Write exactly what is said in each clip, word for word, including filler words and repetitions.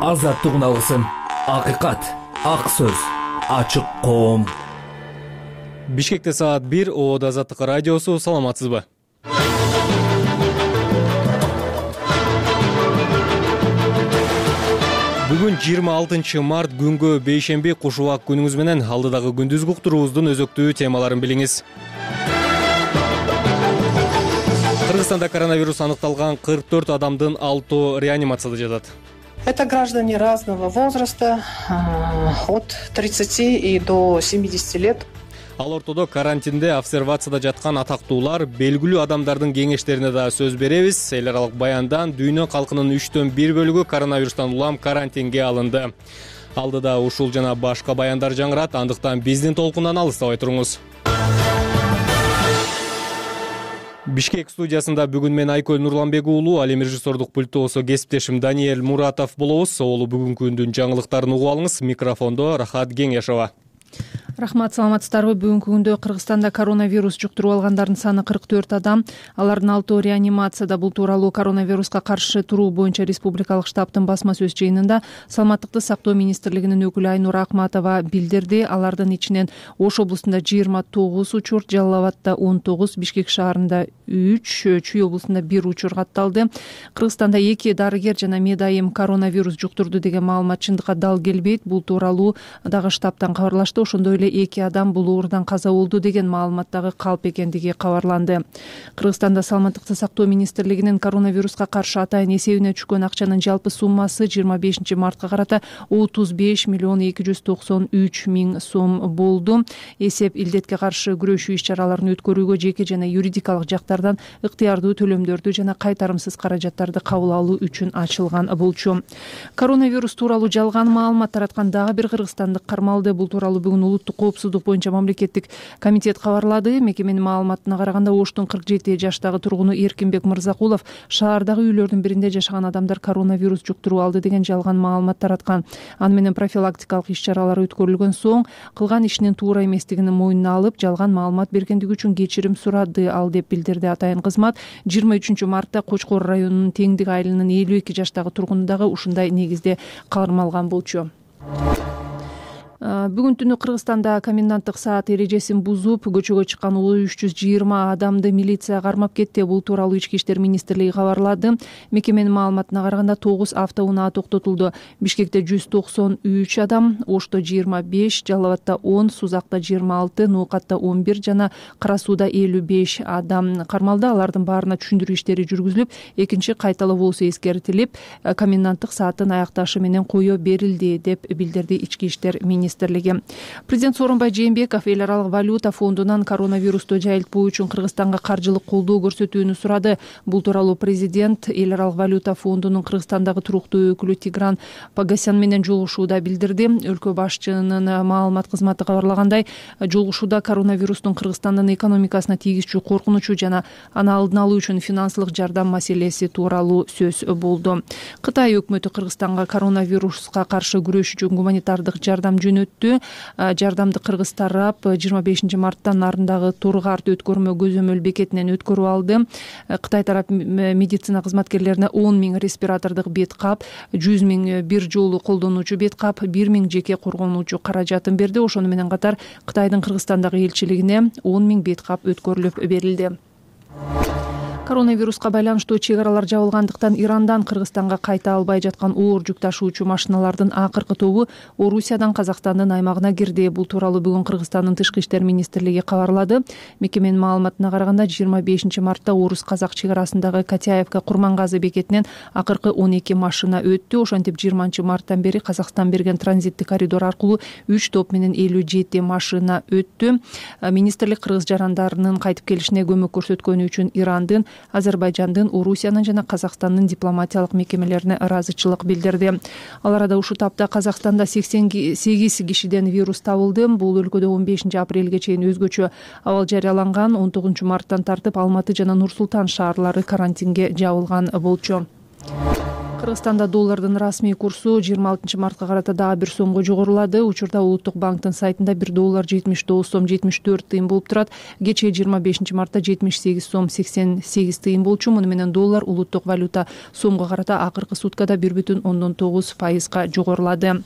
Азаттыгын алгысың. Акыйкат, ак сөз, ачык коом. Бишкекте саат бир. Оодо Азаттык радиосу. Саламатсызбы? Бүгүн жыйырма алтынчы март күнгө бейшемби куш убак күнүңүз менен алдыдагы күндүзгү уктуруубуздун өзөктүү темаларын билиңиз. Кыргызстанда коронавирус аныкталган кырк төрт адамдын алтоо реанимацияда жатат. Это граждане разного возраста, от тридцати и до семидесяти лет. Ал ортодо карантинде обсервацияда жаткан атактуулар, белгилүү адамдардын кеңештерине да сөз беребиз. Эл аралык баяндан дүйнө калкынын үчтөн бир бөлүгү коронавирустан улам карантинге алынды. Алдыда ушул жана башка баяндар жаңырат, андыктан биздин толкундан алыстабай туруңуз. Бишкек студиясында бүгүн мен Айкөл Нурланбек уулу, ал эми режиссердук пульттоосо кесиптешим Даниэль Муратов болобуз. Оолу бүгүнкү күндүн жаңылыктарын угуп алыңыз. Микрофондо Рахат Кеңешова. Рахмат, саламатсыздарбы? Бүгүнкү күндө Кыргызстанда коронавирус жуктуруп алгандардын саны кырк төрт адам. Алардын алтоо реанимацияда. Бул тууралуу коронавируска каршы туруу боюнча республикалык штабтын басма сөз жыйынында Саламаттыкты сактоо министрлигинин өкүлү Айнур Акматова билдирди. Алардын ичинен Ош облусунда жыйырма тогуз учур, Жалал Абадта он тогуз, Бишкек шаарында үч, Чүй облусунда бир учур катталды. Кыргызстанда эки дарыгер жана медайым коронавирус жуктурду деген маалымат чындыкка дал келбейт. Бул тууралуу дагы штабтан кабарлашты. Ошондой эле эки адам бул оорудан каза болду деген маалымат дагы калп экендиги кабарланды. Кыргызстанда Саламаттыкты сактоо министрлигинин коронавируска каршы атайын эсебине түшкөн акчанын жалпы суммасы жыйырма бешинчи мартка карата отуз беш миллион эки жүз токсон үч миң сом болду. Эсеп илдетке каршы күрөшүү иш-чараларын өткөрүүгө жеке жана юридикалык жактардан ыктыярдуу төлөмдөрдү жана кайтарымсыз каражаттарды кабыл алуу үчүн ачылган болчу. Коронавирус тууралуу жалган маалымат тараткан дагы бир кыргызстандык кармалды. Бул тууралуу бүгүн улуттук коопсуздук боюнча мамлекеттик комитет кабарлады. Мекеменин маалыматына караганда Оштун кырк жети жаштагы тургуну Эркинбек Мырзакулов шаардагы үйлөрдүн биринде жашаган адамдар коронавирус жуктуруп алды деген жалган маалымат тараткан. Аны менен профилактикалык иш-чаралар өткөрүлгөн соң кылган ишинин туура эместигин мойнуна алып, жалган маалымат бергендиги үчүн кечирим сурады ал, деп билдирди атайын кызмат. жыйырма үчүнчү мартта Кочкор районунун Теңдик айылынын элүү эки жаштагы тургуну дагы ушундай негизде кармалган болчу. Бүгүн түнү Кыргызстанда коменданттык саат эрежесин бузуп, көчөгө чыккан үч жүз жыйырма адамды милиция кармап кетти. Бул тууралуу Ички иштер министрлиги кабарлады. Мекеменин маалыматына караганда тогуз автоунаа токтотулду. Бишкекте жүз токсон үч адам, Ошто жыйырма беш, Жалал Абадта он, Сузакта жыйырма алты, Ноокатта он бир жана Кара Сууда элүү беш адам кармалды. Алардын баарына түшүндүрүү иштери жүргүзүлүп, экинчи кайталоо болсо эскертилип, коменданттык сааттын аякташы менен кое берилди, деп билдирди Ички иштер министрлиги. Президент Сооронбай Жээнбеков эл аралык валюта фондунан коронавирусту жайылтпоо үчүн Кыргызстанга каржылык колдоо көрсөтүүнү сурады. Бул тууралуу президент эл аралык валюта фондунун Кыргызстандагы туруктуу өкүлү Тигран Погосян менен жолугушууда билдирди. Өлкө башчынын маалымат кызматы кабарлагандай, жолугушууда коронавирустун Кыргызстандын экономикасына тийгизчү коркунучу жана аны алдын алуу үчүн финансылык жардам маселеси тууралуу сөз болду. Кытай өкмөтү Кыргызстанга коронавируска каршы күрөш үчүн гуманитардык жардам жөнөттү. Жардамды кыргыз тарап жыйырма бешинчи марттан нарындагы Тургарт өткөрмө көзөмөл бекетинен өткөрүп алды. Кытай тарап медицина кызматкерлерине он миң респиратордук бет кап, жүз миң бир жолу колдонуучу бет кап, бир миң жеке коргонуучу каражатын берди. Ошону менен катар Кытайдын Кыргызстандагы элчилигине он миң бет кап өткөрүлүп берилди. Коронавируска байланыштуу чек аралар жабылгандыктан Ирандан Кыргызстанга кайта албай жаткан оор жүк ташуучу машиналардын акыркы тобу Орусиядан Казакстандын аймагына кирди. Бул тууралуу бүгүн Кыргызстандын тышкы иштер министрлиги кабарлады. Мекеменин маалыматына караганда жыйырма бешинчи мартта Орус-Казак чек арасындагы Катяевка Курмангазы бекетинен акыркы он эки машина өттү. Ошентип жыйырманчы марттан бери Казакстан берген транзиттик коридор аркылуу үч топ менен элүү жети машина өттү. Министрлик кыргыз жарандарынын кайтып келишине көмөк көрсөткөнү үчүн Ирандын, Азербайжандын, Орусиянын жана Казакстандын дипломатиялык мекемелерине ыраазычылык билдирди. Ал арада ушул тапта Казакстанда сексен сегиз кишиден вирус табылды. Бул өлкөдө он бешинчи апрелге чейин өзгөчө абал жарыяланган. он тогузунчу марттан тартып Алматы жана Нур Султан шаарлары карантинге жабылган болчу. Кыргызстанда доллардын расмий курсу жыйырма алтынчы мартка карата дагы бир сомго жогорулады. Учурда Улуттук банктын сайтында бир доллар жетимиш тогуз сом жетимиш төрт тыйын болуп турат. Кечээ жыйырма бешинчи мартта жетимиш сегиз сом сексен сегиз тыйын болчу. Муну менен доллар улуттук валюта сомго карата акыркы суткада бир бүтүн ондон тогуз пайызга жогорулады.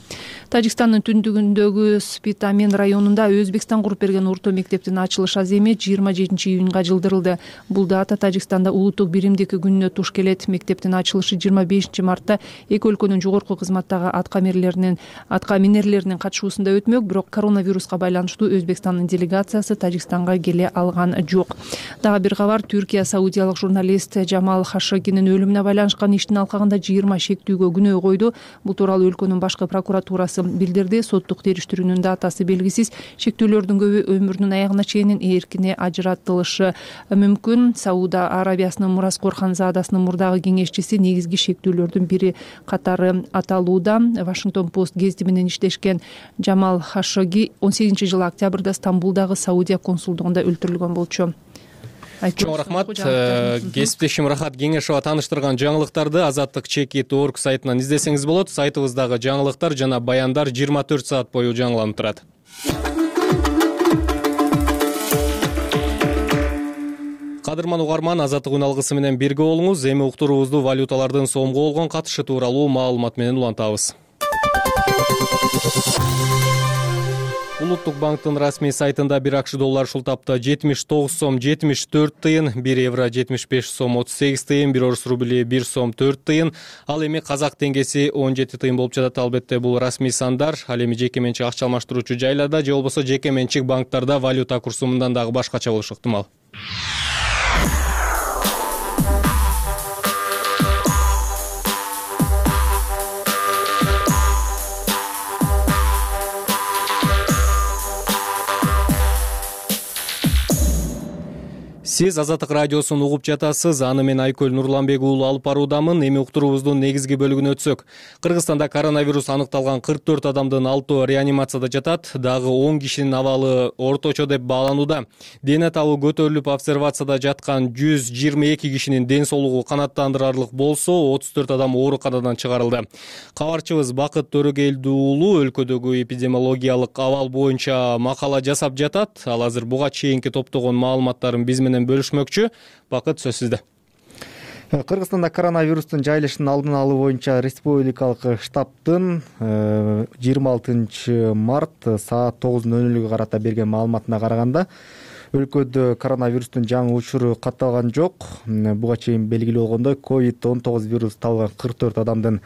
Тажикстандын түндүгүндөгү Спитамин районунда Өзбекстан куруп берген орто мектептин ачылыш аземи жыйырма жетинчи июнга жылдырылды. Бул дата Тажикстанда улуттук биримдик күнүнө туш келет. Мектептин ачылышы жыйырма бешинчи мартта эки өлкөнүн жогорку кызматтагы атка минерлеринин атка минерлеринин катышуусунда өтмөк, бирок коронавируска байланыштуу Өзбекстандын делегациясы Тажикстанга келе алган жок. Дагы бир кабар, Түркия саудиялык журналист Жамал Хашогинин өлүмүнө байланышкан иштин алкагында жыйырма шектүүгө күнөө койду. Бул тууралуу өлкөнүн башкы прокуратурасы билдирди. Соттук териштирүүнүн датасы белгисиз. Шектүүлөрдүн көбү өмүрүнүн аягына чейин эркине ажыратылышы мүмкүн. Сауд Арабиясынын Мураскор ханзадасынын мурдагы кеңешчиси негизги шектүүлөрдүн бири катары аталууда. Вашингтон Пост гезити менен иштешкен Жамал Хашоги он сегизинчи жылы октябрда Стамбулдагы Саудия консулдугунда өлтүрүлгөн болчу. Чоң рахмат. Кесиптешим Рахат Кеңешова тааныштырган жаңылыктарды азаттык чекит точка орг сайтынан издесеңиз болот. Сайтыбыздагы жаңылыктар жана баяндар жыйырма төрт саат бою жаңыланып турат. Кадырман угарман, азаттык үн алгысы менен бирге болуңуз. Эми уктуруубузду валюталардын сомго болгон катышы тууралуу маалымат менен улантабыз. Улуттук банктын расмий сайтында бир акш доллар ушул тапта жетимиш тогуз сом жетимиш төрт тыйын, бир евро жетимиш беш сом отуз сегиз тыйын, бир орус рубли бир сом төрт тыйын, ал эми казак теңгеси он жети тыйын болуп жатат. Албетте бул расмий сандар. Ал эми жеке менчик акча алмаштыруучу жайларда же болбосо жеке менчик банктарда валюта курсу мындан дагы башкача болушу ыктымал. Сиз Азаттык радиосун угуп жатасыз. Аны мен Айкөл Нурланбек уулу алып баруудамын. Эми уктуруубуздун негизги бөлүгүнө өтсөк. Кыргызстанда коронавирус аныкталган кырк төрт адамдын алтоо реанимацияда жатат. Дагы он кишинин абалы орточо деп бааланууда. Дене табы көтөрүлүп обсервацияда жаткан жүз жыйырма эки кишинин ден соолугу канааттандырарлык болсо, отуз төрт адам ооруканадан чыгарылды. Кабарчыбыз Бакыт Төрөгелди уулу өлкөдөгү эпидемиологиялык абал боюнча макала жасап жатат. Ал азыр буга чейинки топтогон маалыматтарын биз менен бөлүшмөкчү. Бакыт, сөз сизде. Кыргызстанда коронавирустун жайылышын алдын алуу боюнча республикалык штабтын жыйырма алтынчы март саат тогуз ноль нөлгө карата берген маалыматына караганда, өлкөдө коронавирустун жаңы учуру катталган жок. Буга чейин белгилүү болгондой, ковид он тогуз вирусу табылган кырк төрт адамдын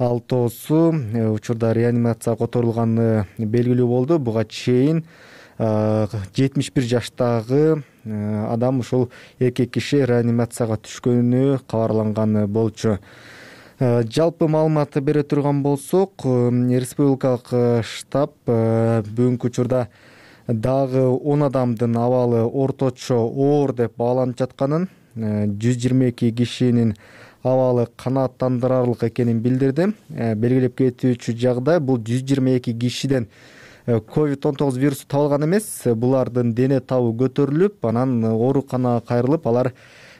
алтоосу учурда реанимацияга которулганы белгилүү болду. Буга чейин жетимиш бир жаштагы адам ушул эркек киши реанимацияга түшкөнү кабарланган болчу. Жалпы маалыматты бере турган болсок, республикалык штаб бүгүнкү учурда дагы он адамдын абалы орточо оор деп бааланып жатканын, жүз жыйырма эки кишинин абалы канааттандырарлык экенин билдирди. Белгилеп кетүүчү жагдай, бул жүз жыйырма эки кишиден ковид он тогуз вирусу табылган эмес. Булардын дене табы көтөрүлүп, анан ооруканага кайрылып, алар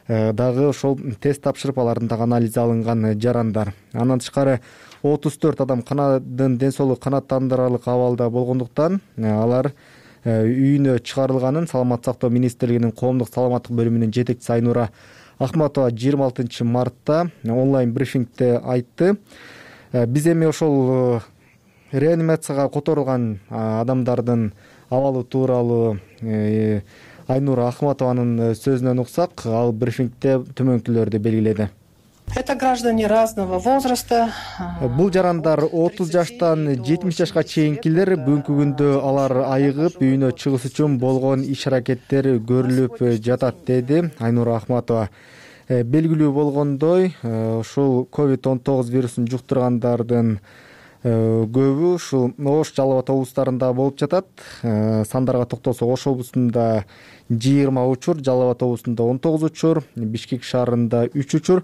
дагы ошол тест тапшырып, алардын дагы анализи алынган жарандар. Андан тышкары отуз төрт адам канадын ден соолугу канааттандырарлык абалда болгондуктан алар үйүнө чыгарылганын Саламаттык сактоо министрлигинин коомдук саламаттык бөлүмүнүн жетекчиси Айнура Ахматова жыйырма алтынчы мартта онлайн брифингде айтты. Биз эми ошол реанимацияга которулган адамдардын абалы тууралуу Айнура Ахматованын сөзүнөн уксак, ал брифингде төмөнкүлөрдү белгиледи. Это граждане разного возраста. Бул жарандар отуз жаштан жетимиш жашка чейинкилер. Бүгүнкү күндө алар айыгып үйүнө чыгыш үчүн болгон иш-аракеттер көрүлүп жатат, деди Айнура Ахматова. Белгилүү болгондой, ушул ковид он тогуз вирусун жуктургандардын көбү ушул Ош, Жалал Абад облустарында болуп жатат. Сандарга токтолсок, Ош облусунда жыйырма учур, Жалал Абад облусунда он тогуз учур, Бишкек шаарында үч учур,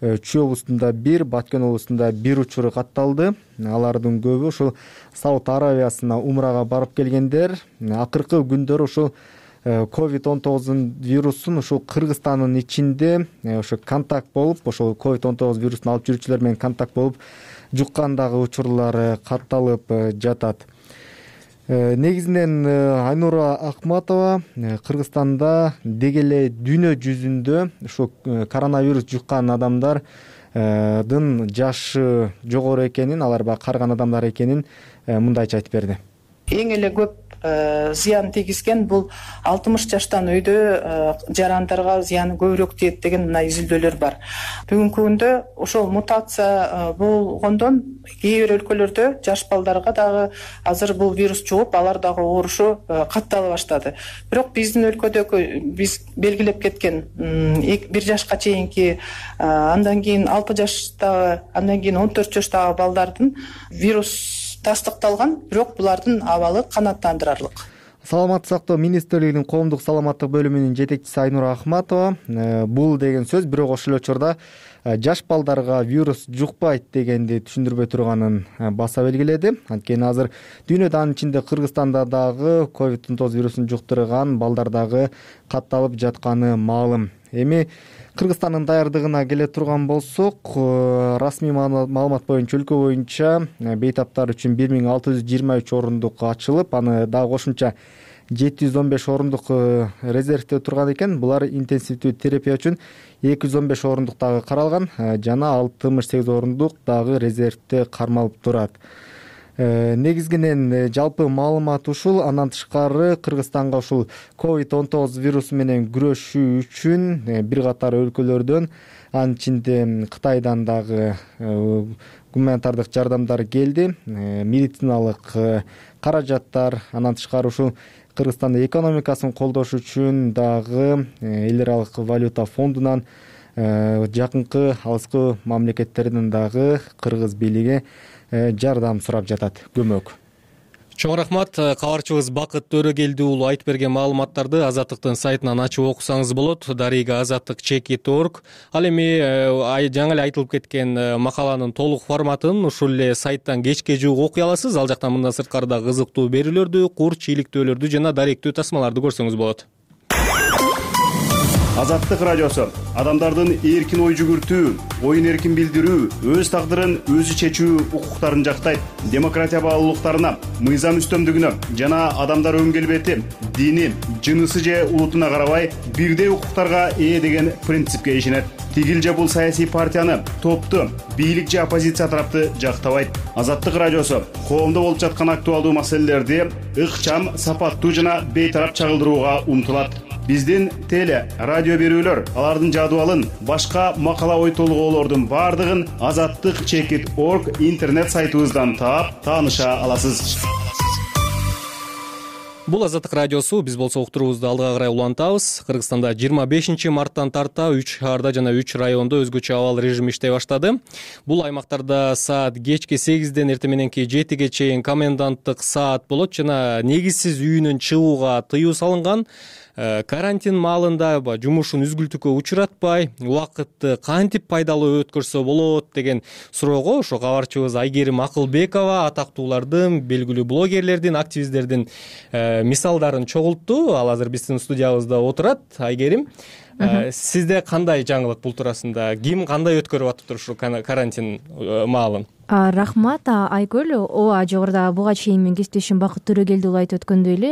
Чүй облусунда бир, Баткен облусунда бир учуру катталды. Алардын көбү ушул Сауд Арабиясына умрага барып келгендер. Акыркы күндөр ушул ковид он тогуз вирусун ушул Кыргызстандын ичинде ошо контакт болуп, ошол ковид он тогуз вирусун алып жүрүүчүлөр менен контакт болуп жуккан дагы учурлар катталып жатат. Негизинен Айнура Акматова Кыргызстанда деги эле дүйнө жүзүндө ушул коронавирус жуккан адамдардын жашы жогору экенин, алар баягы карыган адамдар экенин мындайча айтып берди. Эң эле көп зыян тийгизген бул алтымыш жаштан өйдө жарандарга зыяны көбүрөөк тиет деген мына изилдөөлөр бар. Бүгүнкү күндө ошол мутация болгондон кээ бир өлкөлөрдө жаш балдарга дагы азыр бул вирус жугуп, алар дагы оорушу каттала баштады. Бирок биздин өлкөдөгү биз белгилеп кеткен бир жашка чейинки, андан кийин алты жаштагы, андан кийин он төрт жаштагы балдардын вирус тастыкталган, бирок булардын абалы канааттандырарлык. Саламаттык сактоо министрлигинин коомдук саламаттык бөлүмүнүн жетекчиси Айнура Ахматова бул деген сөз бирок ошол эле учурда жаш балдарга вирус жукпайт дегенди түшүндүрбөй турганын баса белгиледи. Анткени азыр дүйнөдө, анын ичинде Кыргызстанда дагы ковид он тогуз вирусун жуктурган балдар дагы катталып жатканы маалым. Эми Кыргызстандын даярдыгына келе турган болсок, расмий маалымат боюнча өлкө боюнча бейтаптар үчүн бир миң алты жүз жыйырма үч орундук ачылып, аны дагы кошумча жети жүз он беш орундук резервде турган экен. Булар интенсивдүү терапия үчүн эки жүз он беш орундук дагы каралган жана алтымыш сегиз орундук дагы резервде кармалып турат. Негизинен жалпы маалымат ушул. Андан тышкары Кыргызстанга ушул ковид он тогуз вирусу менен күрөшүү үчүн бир катар өлкөлөрдөн, анын ичинде Кытайдан дагы гуманитардык жардамдар келди, медициналык каражаттар. Андан тышкары ушул Кыргызстандын экономикасын колдош үчүн дагы эл аралык валюта фондунан, жакынкы алыскы мамлекеттерден дагы кыргыз бийлиги жардам сурап жатат, көмөк. Чоң рахмат. Кабарчыбыз Бакыт Төрөгелди уулу айтып берген маалыматтарды Азаттыктын сайтынан ачып окусаңыз болот. Дарига азаттык чекит точка орг. Ал эми жаңы эле айтылып кеткен макаланын толук форматын ушул эле сайттан кечке жуук окуй аласыз. Ал жактан мындан сырткары да кызыктуу берүүлөрдү, курч, иликтөөлөрдү жана даректүү тасмаларды көрсөңүз болот. Азаттык радиосу адамдардын эркин ой жүгүртүү, оюн эркин билдирүү, өз тагдырын өзү чечүү укуктарын жактайт. Демократия баалуулуктарына, мыйзам үстөмдүгүнө жана адамдар өн келбети, дини, жынысы же улутуна карабай бирдей укуктарга ээ деген принципке ишенет. Тигил же бул саясий партияны, топту, бийлик же оппозиция тарапты жактабайт. Азаттык радиосу коомдо болуп жаткан актуалдуу маселелерди ыкчам, сапаттуу жана бейтарап чагылдырууга умтулат. Биздин теле, радио берүүлөр, алардын жадыбалын, башка макала ой толгоолордун бардыгын азаттык чекит точка орг интернет сайтыбыздан таап, тааныша аласыз. Бул Азаттык радиосу. Биз болсо уктуруубузду алдыга карай улантабыз. Кыргызстанда жыйырма бешинчи марттан тарта үч шаарда жана үч райондо өзгөчө абал режими иштей баштады. Бул аймактарда саат кечки сегизден эртең мененки жетиге чейин коменданттык саат болот жана негизсиз үйүнөн чыгууга тыюу салынган. Карантин маалында жумушун үзгүлтүккө учуратпай, убакытты кантип пайдалуу өткөрсө болот деген суроого ошо кабарчыбыз Айгерим Акылбекова атактуулардын, белгилүү блогерлердин, активисттердин мисалдарын чогултту. Ал азыр биздин студиябызда отурат. Айгерим, сизде кандай жаңылык бул туурасында? Ким кандай өткөрүп атыптыр ушу карантин маалын? Рахмат Айгүл. Ооба, жогоруда буга чейин мен кесиптешим Бакыт Төрөгелди уулу айтып өткөндөй эле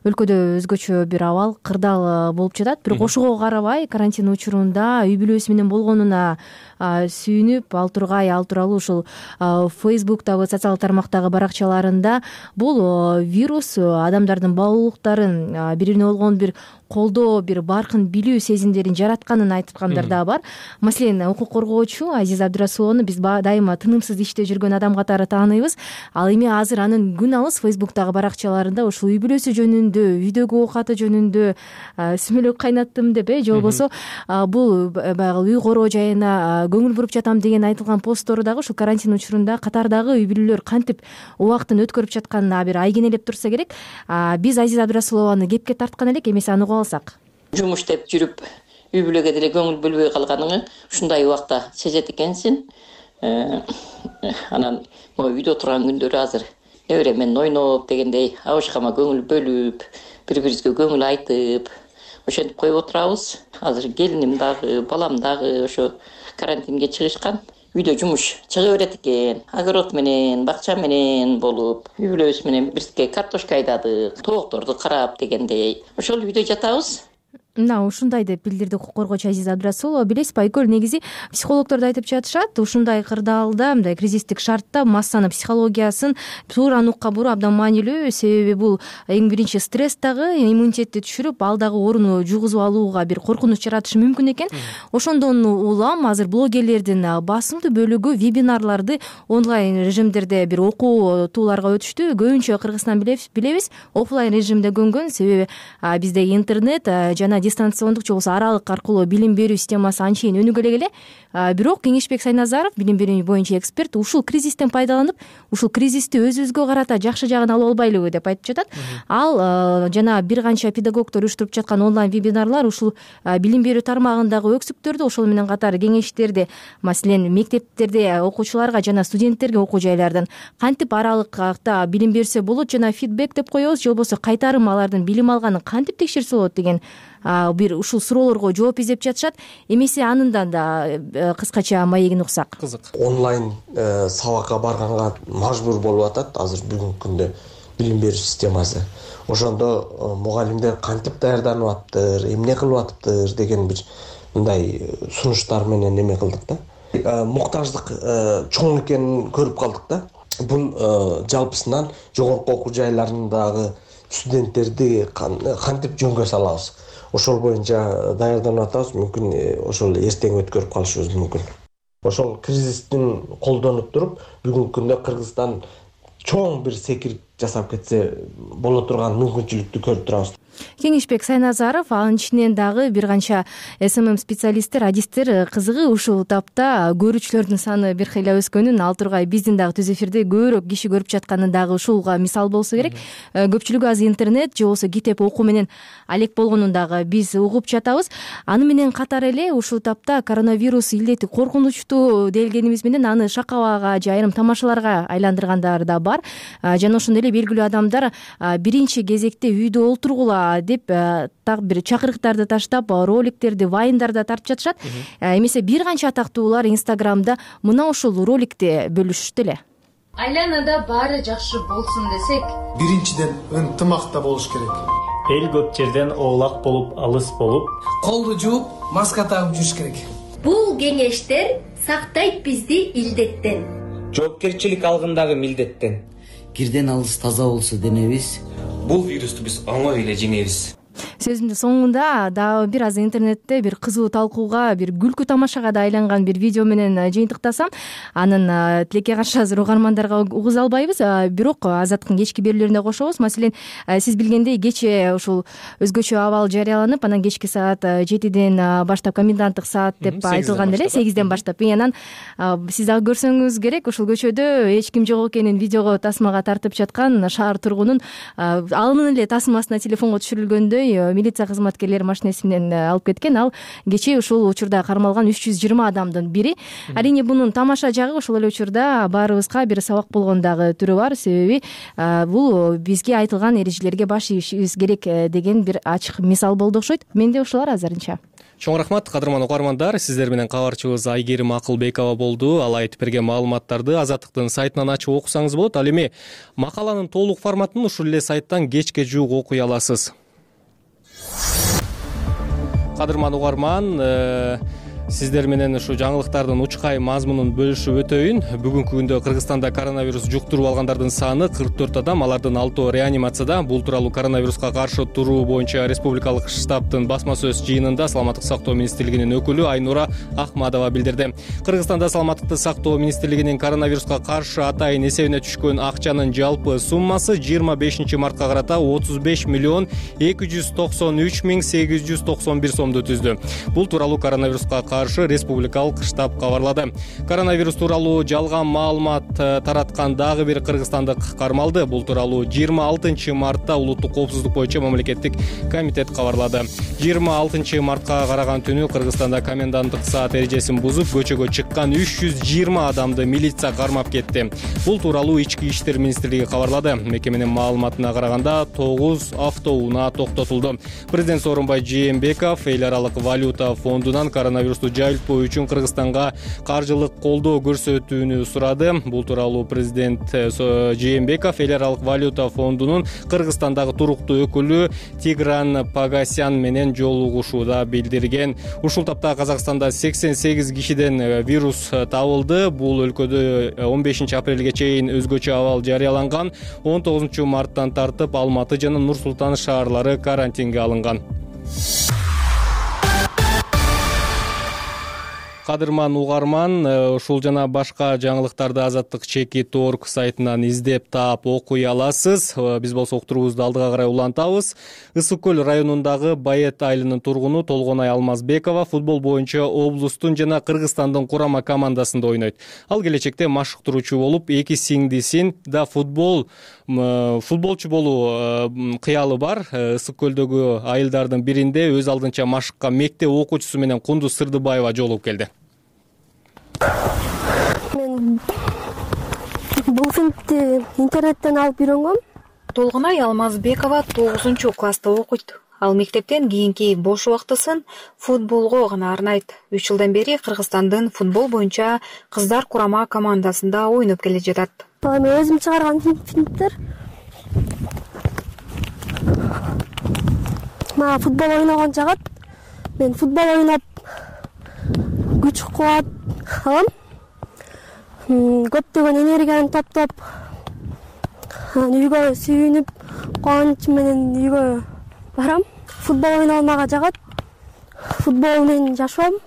өлкөдө өзгөчө бир абал, кырдаал болуп жатат. Бирок ошого карабай карантин учурунда үй бүлөсү менен болгонуна сүйүнүп, ал тургай, ал тууралуу ушул Facebook'тагы, социалдык тармактагы баракчаларында бул вирус адамдардын баалуулуктарын, бири-бирине болгон бир колдоо, бир баркын билүү сезимдерин жаратканын айткандар да бар. Маселен, укук коргоочу Азиза Абдырасуловну биз дайыма тынымсыз иште жүргөн адам катары тааныйбыз. Ал эми азыр анын күн алыс Facebook'тагы баракчаларында ушул үй бүлөсү жөнүндө, үйдөгү оокаты жөнүндө сүмөлөк кайнаттым деп, же болбосо бул баягы үй короо жайына көңүл буруп жатам деген айтылган посттору дагы ушул карантин учурунда катардагы үй бүлөлөр кантип убактын өткөрүп жатканына бир айкенелеп турса керек. Биз Азиза Абдырасулованы кепке тарткан элек, эмесе аны угуп алсак. Жумуш деп жүрүп, үй бүлөгө деле көңүл бөлбөй калганыңы ушундай убакта сезет экенсиң. Анан могу үйдө турган күндөрү азыр небере менен ойноп дегендей, абышкама көңүл бөлүп, бири бирибизге көңүл айтып ошентип коюп отурабыз. Азыр келиним дагы, балам дагы ошо карантинге чыгышкан. Үйдө жумуш чыга берет экен. Огород менен, бакча менен болуп, үй бүлөбүз менен бирге картошка айдадык, тоокторду карап дегендей. Ошол үйдө жатабыз. Мына ушундай деп билдирди укук коргоочу Азиза Абдрасулова. Билесизби Айгөл, негизи психологдор да айтып жатышат, ушундай кырдаалда, мындай кризистик шартта массанын психологиясын туура нукка буруу абдан маанилүү. Себеби бул эң биринчи стресс дагы иммунитетти түшүрүп, ал дагы ооруну жугузуп алууга бир коркунуч жаратышы мүмкүн экен. Ошондон улам азыр блогерлердин басымдуу бөлүгү вебинарларды онлайн режимдерде бир окутууларга өтүштү. Көбүнчө Кыргызстан билебиз, офлайн режимде көнгөн. Себеби бизде интернет жана дистанциондук же болбосо аралык аркылуу билим берүү системасы анчейин өнүгө эле. Бирок Кеңешбек Сайназаров, билим берүү боюнча эксперт, ушул кризистен пайдаланып, ушул кризисти өзүбүзгө карата жакшы жагын алып албайлыбы деп айтып жатат. Ал жана бир канча педагогдор уюштуруп жаткан онлайн вебинарлар ушул билим берүү тармагындагы өксүктөрдү, ошол менен катар кеңештерди, маселен мектептерде окуучуларга жана студенттерге окуу жайлардан кантип аралыкта билим берсе болот жана фидбек деп коебуз, же болбосо кайтарым алардын билим алганын кантип текшерсе болот деген бир ушул суроолорго жооп издеп жатышат. Эмесе анындан да кыскача маегин уксак. Кызык. Онлайн сабакка барганга мажбур болуп атат азыр бүгүнкү күндө билим берүү системасы. Ошондо мугалимдер кантип даярданып атыптыр, эмне кылып атыптыр деген бир мындай сунуштар менен эме кылдык да. Муктаждык чоң экенин көрүп калдык да. Бул жалпысынан жогорку окуу жайларындагы студенттерди кантип жөнгө салабыз, ошол боюнча даярданып атабыз. Мүмкүн ошол эртең өткөрүп калышыбыз мүмкүн. Ошол кризистин колдонуп туруп, бүгүнкү күндө Кыргызстан чоң бир секирип жасап кетсе боло турган мүмкүнчүлүктү көрүп турабыз. Кеңешбек Сайназаров, анын ичинен дагы бир канча эс эм эм специалисттер, адистер кызыгы ушул тапта көрүүчүлөрдүн саны бир хыйла өскөнүн, ал тургай биздин дагы түз эфирде көбүрөөк киши көрүп жатканын дагы ушулга мисал болсо керек. Көпчүлүгү азыр интернет же болбосо китеп окуу менен алек болгонун дагы биз угуп жатабыз. Аны менен катар эле ушул тапта коронавирус илдети коркунучтуу делгенибиз менен аны шакабага же айрым тамашаларга айландыргандар да бар. Жана ошондой эле белгилүү адамдар биринчи кезекте үйдө олтургула деп так бир чакырыктарды таштап, роликтерди, вайндарда тартып жатышат. Эмесе бир канча атактуулар Инстаграмда мына ушул роликти бөлүшүштү эле. Айланада баары жакшы болсун десек, биринчиден ынтымакта болуш керек. Эл көп жерден оолак болуп, алыс болуп, колду жууп, маска тагып жүрүш керек. Бул кеңештер сактайт бизди илдеттен. Жоопкерчилик алгындагы милдеттен. Кирден алыс таза болсо денебиз, бул вирусту биз оңой эле жеңебиз. Сөзүмдүн соңунда дагы бир аз интернетте бир кызуу талкууга, бир күлкү тамашага да айланган бир видео менен жыйынтыктасам, анын тилекке каршы азыр угармандарга угуза албайбыз, бирок Азаттыктын кечки берүүлөрүндө кошобуз. Маселен, сиз билгендей кече ушул өзгөчө абал жарыяланып, анан кечки саат жетиден баштап коменданттык саат деп айтылган эле, сегизден баштап. Анан сиз дагы көрсөңүз керек, ушул көчөдө эч ким жок экенин видеого тасмага тартып жаткан шаар тургунун анын эле тасмасына телефонго түшүрүлгөндөй милиция кызматкерлери машинеси менен алып кеткен. Ал кечээ ушул учурда кармалган үч жүз жыйырма адамдын бири. Арийне бунун тамаша жагы ошол эле учурда баарыбызга бир сабак болгон дагы түрү бар. Себеби бул бизге айтылган эрежелерге баш ийишибиз керек деген бир ачык мисал болду окшойт. Менде ушулар азырынча. Чоң рахмат, кадырман угармандар. Сиздер менен кабарчыбыз Айгерим Акылбекова болду. Ал айтып берген маалыматтарды Азаттыктын сайтынан ачып окусаңыз болот. Ал эми макаланын толук форматын ушул эле сайттан кечке жуук окуй аласыз. Кадырман угарман, сиздер менен ушу жаңылыктардын учкай мазмунун бөлүшүп өтөйүн. Бүгүнкү күндө Кыргызстанда коронавирус жуктуруп алгандардын саны кырк төрт адам, алардын алтоо реанимацияда. Бул тууралуу коронавируска каршы туруу боюнча республикалык штабтын басма сөз жыйынында Саламаттык сактоо министрлигинин өкүлү Айнура Ахмадова билдирди. Кыргызстанда Саламаттыкты сактоо министрлигинин коронавируска каршы атайын эсебине түшкөн акчанын жалпы суммасы жыйырма бешинчи мартка карата отуз беш миллион эки жүз токсон үч миң сегиз жүз токсон бир сомду түздү. Бул тууралуу коронавируска каршы республикалык штаб кабарлады. Коронавирус тууралуу жалган маалымат тараткан дагы бир кыргызстандык кармалды. Бул тууралуу жыйырма алтынчы мартта улуттук коопсуздук боюнча мамлекеттик комитет кабарлады. жыйырма алтынчы мартка караган түнү Кыргызстанда коменданттык саат эрежесин бузуп көчөгө чыккан үч жүз жыйырма адамды милиция кармап кетти. Бул тууралуу Ички иштер министрлиги кабарлады. Мекеменин маалыматына караганда тогуз автоунаа токтотулду. Президент Сооронбай Жээнбеков эл аралык валюта фондунан коронавирусту жайылтпоо үчүн Кыргызстанга каржылык колдоо көрсөтүүнү сурады. Бул тууралуу президент Жээнбеков эл аралык валюта фондунун Кыргызстандагы туруктуу өкүлү Тигран Пагасян менен жолугушууда билдирген. Ушул тапта Казакстанда сексен сегиз кишиден вирус табылды. Бул өлкөдө он бешинчи апрелге чейин өзгөчө абал жарыяланган. он тогузунчу марттан тартып Алматы жана Нур Султан шаарлары карантинге алынган. Кадырман угарман, ушул жана башка жаңылыктарды Азаттык чекит точка орг сайтынан издеп таап окуй аласыз. Биз болсо уктуруубузду алдыга карай улантабыз. Ысык көл районундагы Байет айылынын тургуну Толгонай Алмазбекова футбол боюнча облустун жана Кыргызстандын курама командасында ойнойт. Ал келечекте машыктыруучу болуп, эки сиңдисин да футбол футболчу болуу кыялы бар. Ысык көлдөгү айылдардын биринде өз алдынча машыкка мектеп окуучусу менен Кундуз Сырдыбаева жолугуп келди. Мен бул фильмди интернеттен алып үйрөнгөм. Толгонай Алмазбекова тогузунчу класста окуйт. Ал мектептен кийинки бош убактысын футболго гана арнайт. үч жылдан бери Кыргызстандын футбол боюнча кыздар курама командасында ойноп келе жатат. Мен өзүм чыгарган фильмдер. Мага футбол ойногон жагат. Мен футбол ойноп күч кубат алам. Көптөгөн энергияны топтоп, үйгө сүйүнүп, кубанч менен үйгө барам. Футбол ойноо мага жагат. Футбол менен жашоом.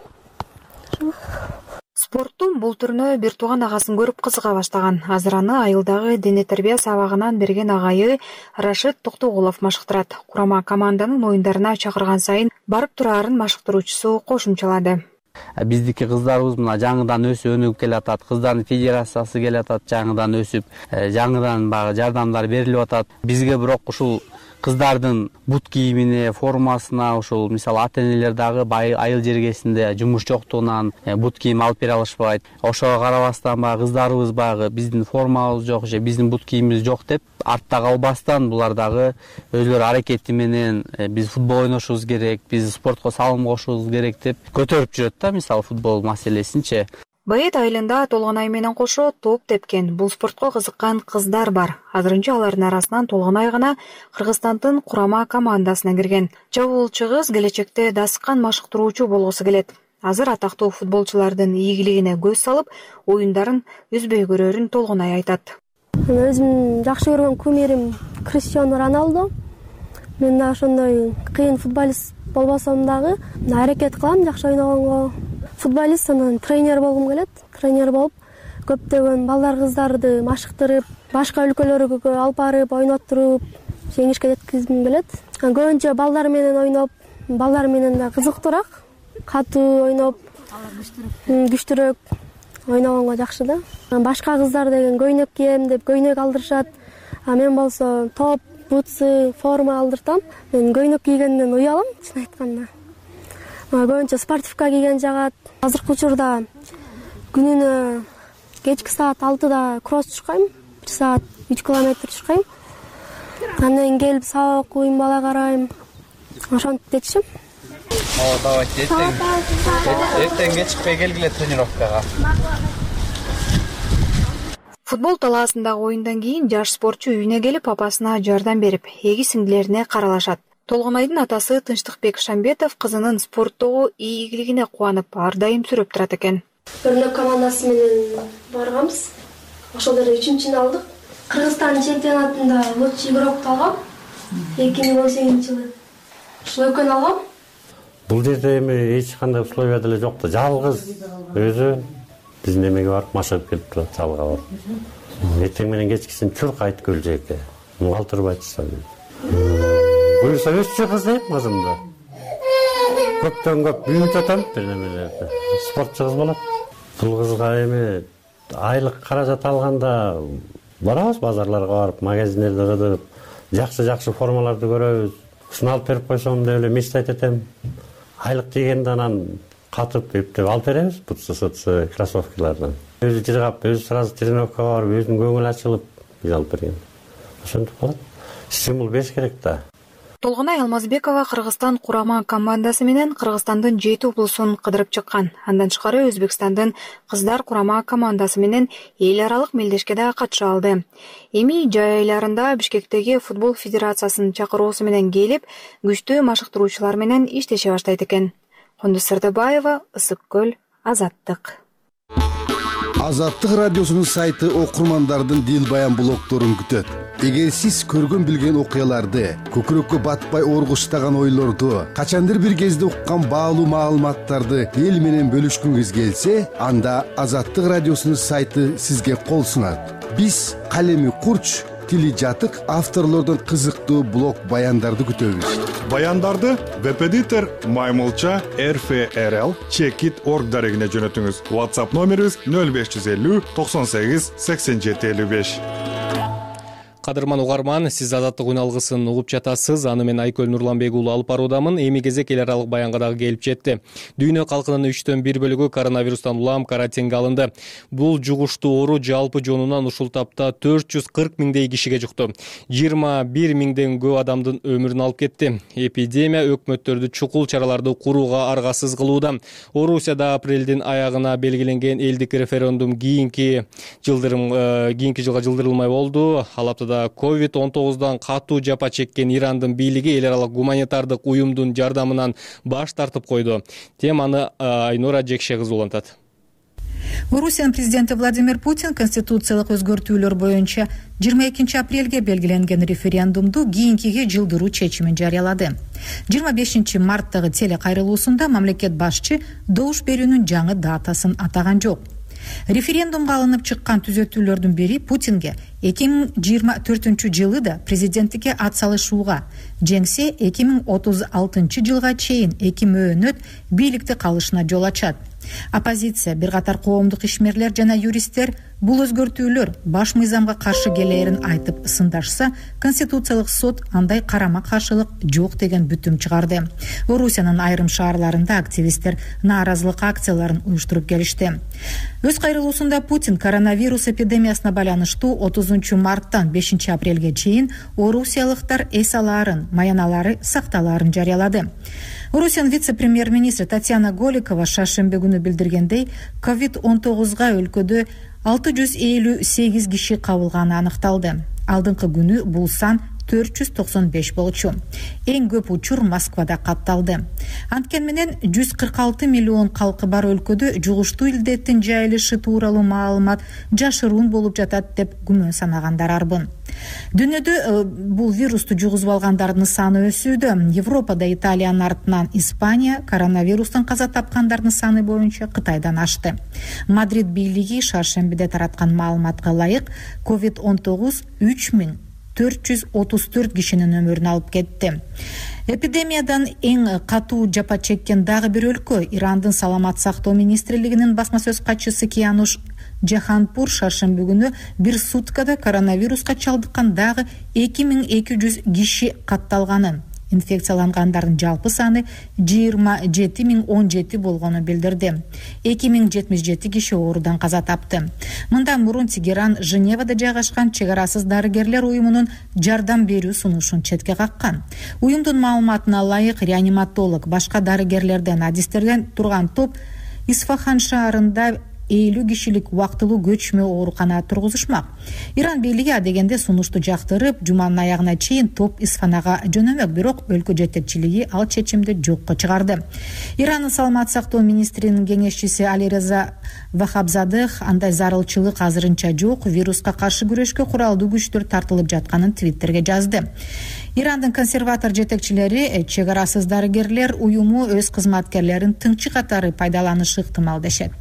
Спорттун бул түрүнө бир тууган агасын көрүп кызыга баштаган. Азыр аны айылдагы дене тарбия сабагынан берген агайы Рашид Токтогулов машыктырат. Курама команданын оюндарына чакырган сайын барып турарын машыктыруучусу кошумчалады. Биздики кыздарыбыз мына жаңыдан өсүп өнүгүп келатат. Кыздардын федерациясы келатат, жаңыдан өсүп, жаңыдан багы жардамдар берилип атат. Бизге бирок ушул кыздардын бут кийимине, формасына, ушул мисалы ата-энелер дагы айыл жергесинде жумуш жоктугунан бут кийим алып бере алышпайт. Ошого карабастан багы кыздарыбыз багы биздин формабыз жок же биздин бут кийимибиз жок деп артта калбастан булар дагы өзлөрү аракети менен биз футбол ойношубуз керек, биз спортко салым кошушубуз керек деп көтөрүп жүрөт да, мисалы футбол маселесинчи. Байет айылында Толгонай менен кошо топ тепкен бул спортко кызыккан кыздар бар. Азырынча алардын арасынан Толгонай гана Кыргызстандын курама командасына кирген. Чабуулчу кыз келечекте дасыккан машыктыруучу болгусу келет. Азыр атактуу футболчулардын ийгилигине көз салып, оюндарын үзбөй көрөрүн Толгонай айтат. Мен өзүм жакшы көргөн кумирим Криштиану Роналдо. Мен да ошондой кыйын футболист болбосом дагы аракет кылам жакшы ойногонго. Футболист, анан тренер болгум келет. Тренер болуп, көптөгөн балдар кыздарды машыктырып, башка өлкөлөргө алып барып, ойноттуруп, жеңишке жеткизгим келет. Көбүнчө балдар менен ойноп, балдар менен да кызыктуураак, катуу ойноп, күчтүүрөөк ойногонго жакшы да. Башка кыздар деген көйнөк кийем деп көйнөк алдырышат. А мен болсо топ, бутсы, форма алдыртам. Мен көйнөк кийгенден уялам, чын айтканда. Көбүнчө спортивка кийген жагат. Азыркы учурда күнүнө кечки саат алтыда кросс чуркайм, бир саат үч километр чуркайм. Андан келип сабак окуйм, бала карайм. Ошентип детишим. О, давайте эртең. Эртең кечикпей келгиле тренировкага. Футбол талаасындагы оюндан кийин жаш спортчу үйүнө келип апасына жардам берип, эги сиңдилерине каралашат. Толгонайдын атасы Тынчтыкбек Шамбетов кызынын спорттогу ийгилигине кубанып, ар дайым сүрөп турат экен. Өрнөк командасы менен барганбыз. Ошол жерде үчүнчүнү алдык. Кыргызстан чемпионатында лучший игрокду алгам. эки миң он сегизинчи жылы. Ушул экөөнү алгам. Бул жерде эми эч кандай условия деле жок да. Жалгыз өзү биздин эмеге барып машыгып келип турат, жалга барып. Эртең менен кечкисин чуркайт көл жеке. Калтырбайт. Буюрса өсчү кыз дейм кызымды. көптөн көп büyütүп атам бир немелерди. Спортчу кыз болот. Бул кызга эми айлык каражат алганда барабыз базарларга барып, магазиндерде кыдырып, жакшы-жакшы формаларды көрөбүз. Ушуну алып берип койсом деп эле мечтать этем. Айлык дегенде анан катып эптеп алып беребиз, бутсы-сытсы, кроссовкалардан. Өзү жыргап, өзү сразу тренировкага барып, өзүнүн көңүлү ачылып, биз алып берген. Ошентип калат. Стимул бериш керек да. Толгонай Алмазбекова Кыргызстан курама командасы менен Кыргызстандын жети облусун кыдырып чыккан. Андан тышкары Өзбекстандын кыздар курама командасы менен эл аралык мелдешке да катыша алды. Эми жай айларында Бишкектеги футбол федерациясынын чакыроосу менен келип, күчтүү машыктыруучулар менен иштеше баштайт экен. Кондус Сырдыбаева, Ысык көл, Азаттык. Азаттык радиосунун сайты окурмандардын дил баян блогторун күтөт. Эгер сиз көргөн билген окуяларды, көкүрөккө батпай оргуштаган ойлорду, качандыр бир кезде уккан баалуу маалыматтарды эл менен бөлүшкүңүз келсе, анда Азаттык радиосунун сайты сизге кол сунат. Биз калеми курч, тили жатык авторлордун кызыктуу блог баяндарды күтөбүз. Баяндарды веб-эдитор Маймылча эр эф эр эл чекит точка орг дарегине жөнөтүңүз. WhatsApp номерибиз нөл беш жүз элүү токсон сегиз сексен жети элүү беш. Кадырман угарман, сиз Азаттык үналгысын угуп жатасыз. Аны мен Айкөл Нурланбек уулу алып баруудамын. Эми кезек эл аралык баянга дагы келип жетти. Дүйнө калкынын үчтөн бир бөлүгү коронавирустан улам карантинге алынды. Бул жугуштуу оору жалпы жонунан ушул тапта төрт жүз кырк миңдей кишиге жукту. жыйырма бир миңден көп адамдын өмүрүн алып кетти. Эпидемия өкмөттөрдү чукул чараларды курууга аргасыз кылууда. Орусияда апрелдин аягына белгиленген элдик референдум кийинки жылдырым кийинки жылга жылдырылмай болду. Ал аптада ковид он тогуздан катуу жапа чеккен Ирандын бийлиги эл аралык гуманитардык уюмдун жардамынан баш тартып койду. Теманы Айнура Жекше кызы улантат. Орусиянын президенти Владимир Путин конституциялык өзгөртүүлөр боюнча жыйырма экинчи апрелге белгиленген референдумду кийинкиге жылдыруу чечимин жарыялады. жыйырма бешинчи марттагы телекайрылуусунда мамлекет башчы добуш берүүнүн жаңы датасын атаган жок. Референдумга алынып чыккан түзөтүүлөрдүн бири Путинге эки миң жыйырма төртүнчү жылы да президенттикке ат салышууга, жеңсе эки миң отуз алтынчы жылга чейин эки мөөнөт бийликте калышына жол ачат. Оппозиция, бир катар коомдук ишмерлер жана юристтер бул өзгөртүүлөр баш мыйзамга каршы келээрин айтып сындашса, Конституциялык сот андай карама каршылык жок деген бүтүм чыгарды. Орусиянын айрым шаарларында активисттер нааразылык акцияларын уюштуруп келишти. Өз кайрылуусунда Путин коронавирус эпидемиясына байланыштуу отузунчу марттан бешинчи апрелге чейин орусиялыктар эс алаарын, маяналары сакталаарын жарыялады. Орусиянын вице-премьер-министри Татьяна Голикова шаршембе күнү билдиргендей, ковид он тогузга өлкөдө алты жүз элүү сегиз киши кабылганы аныкталды. Алдыңкы күнү бул сан төрт жүз токсон беш болчу. Эң көп учур Москвада катталды. Анткени менен жүз кырк алты миллион калкы бар өлкөдө жугуштуу илдеттин жайылышы тууралуу маалымат жашыруун болуп жатат деп күмөн санагандар арбын. Дүйнөдө бул вирусту жугузуп алгандардын саны өсүүдө. Европада Италиянын артынан Испания, коронавирустан каза тапкандардын саны боюнча Кытайдан ашты. Мадрид бийлиги шаршембиде тараткан маалыматка ылайык ковид он тогуз үч миң төрт жүз отуз төрт кишинин өмүрүн алып кетти. Эпидемиядан эң катуу жапа чеккен дагы бир өлкө Ирандын саламат сактоо министрлигинин басма сөз катчысы Киануш Жаханпур шаршемби күнү бир суткада коронавируска чалдыккан дагы эки миң эки жүз киши катталганын, инфекциялангандардын жалпы саны жыйырма жети миң он жети болгону билдирди. эки миң жетимиш жети киши оорудан каза тапты. Мындан мурун Тегеран Женевада жайгашкан чек арасыз дарыгерлер уюмунун жардам берүү сунушун четке каккан. Уюмдун маалыматына ылайык, реаниматолог, башка дарыгерлерден, адистерден турган топ Исфахан шаарында элүү кишилик убактылуу көчмө оорукана тургузушмак. Иран бийлиги адегенде сунушту жактырып, жуманын аягына чейин топ Исфанага жөнөмөк, бирок өлкө жетекчилиги ал чечимди жокко чыгарды. Иранын саламат сактоо министринин кеңешчиси Алиреза Вахабзадех андай зарылчылык азырынча жок, вируска каршы күрөшкө куралдуу күчтөр тартылып жатканын Твиттерге жазды. Ирандын консерватор жетекчилери чек арасыз дарыгерлер уюму өз кызматкерлерин тыңчы катары пайдаланышы ыктымал дешет.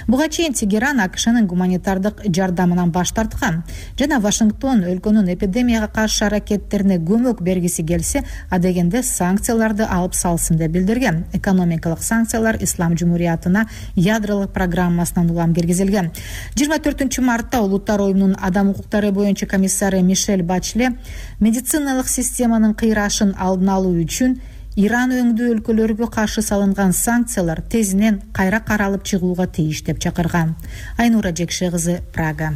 Буга чейин Тегеран АКШнын гуманитардык жардамынан баш тарткан жана Вашингтон өлкөнүн эпидемияга каршы аракеттерине көмөк бергиси келсе, адегенде санкцияларды алып салсын деп билдирген. Экономикалык санкциялар Ислам жумуриятына ядролук программасынан улам киргизилген. жыйырма төртүнчү мартта Улуттар оюмунун адам укуктары боюнча комиссары Мишель Бачле медициналык системанын кыйрашын алдын алуу үчүн Иран өңдүү өлкөлөргө каршы салынган санкциялар тезинен кайра каралып чыгууга тийиш деп чакырган. Айнура Жекше кызы, Прага.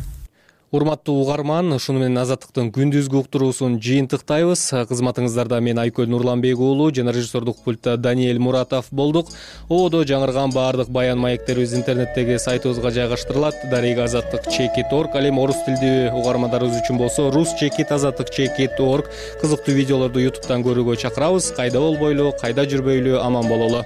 Урматтуу угарман, ушуну менен Азаттыктын күндүзгү уктуруусун жыйынтыктайбыз. Кызматыңыздарда мен Айкөл Нурланбек уулу жана режиссердук пультта Даниэль Муратов болдук. Ободо жаңырган баардык баян маектерибиз интернеттеги сайтыбызга жайгаштырылат. Дарега азаттык чекит точка орг. Ал эми орус тилдүү угармандарыбыз үчүн болсо рус чекит азаттык чекит точка орг. Кызыктуу видеолорду ютубтан көрүүгө чакырабыз. Кайда болбойлу, кайда жүрбөйлү, аман бололу.